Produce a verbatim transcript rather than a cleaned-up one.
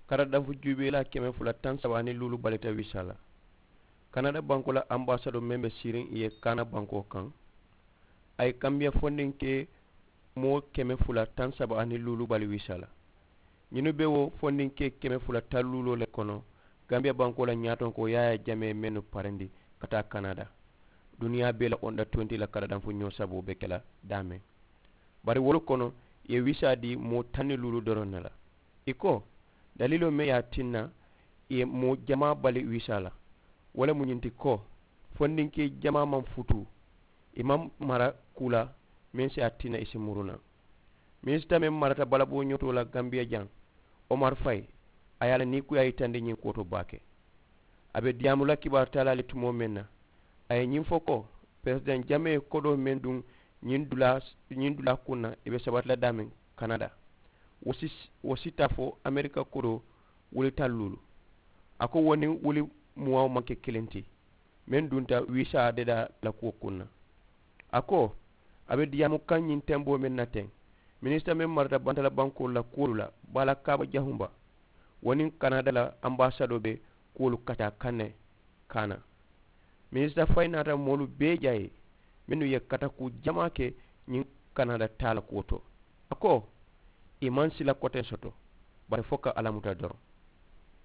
Karadanfu juubeelaa keme fula taŋ saba aniŋ luulu balita wiisaa la. Kanada bankoo la ambaasadoo meŋ be siiriŋ ì ye kaana bankoo kaŋ, a ye kambiya fondinkee moo keme fula taŋ saba aniŋ luulu bali wiisaa la. Ñinnu be wo fondinkee keme fula taŋ luuloo le kono, kambiya bankoo la ñaatonkoo yaayaa jamee mennu parendi ka taa kanada. Duniyaa bee la onda tuwenti la karadanfu ñoo saboo be ke la daameŋ. Bari wolu kono, ì ye wiisaa dii moo taŋ niŋ luulu doroŋ ne la. Ì ko, daliiloo meŋ ye a tinna ì ye moo jamaa bali wiisaa la, wo le mu ñiŋ ti ko, fondinkee jamaa maŋ futuu, ì maŋ mara kuu la meŋ si a tinna ì si muru naŋ. Minisita meŋ marata balaboo ñotoo la gambiya jaŋ, omar fayi, a ye a la nii kuyaa yitandi ñiŋ kuwo to baake. A be diyaamu la kibaaru taalaa le tumoo meŋ na, a ye ñiŋ fo ko, peresidaŋ jamee kodoo meŋ duŋ ñiŋ dulaa ñiŋ dulaa kuŋ na, ì be sabati la daameŋ kanada, wo si wo si taa fo amerika kodoo wuli taŋ luulu. A ko wo niŋ wuli muwaŋo maŋ ke kiliŋ ti meŋ dunta wiisaa dedaa la kuwo kuŋ na. A ko, a be diyaamu kaŋ ñiŋ temboo meŋ na teŋ, minisita meŋ marata bantala bankoolu la kuwolu la, baala kaaba jahumba, wo niŋ kanada la ambaasadoo be kuwolu kataa kaŋ ne kaana. Minisita fayi naata moolu bee jaayi mennu ye katakuu jamaa ke ñiŋ kanada taa la kuwo to. A ko, ì maŋ sila koteŋ soto, bari fo ka alla muta doroŋ.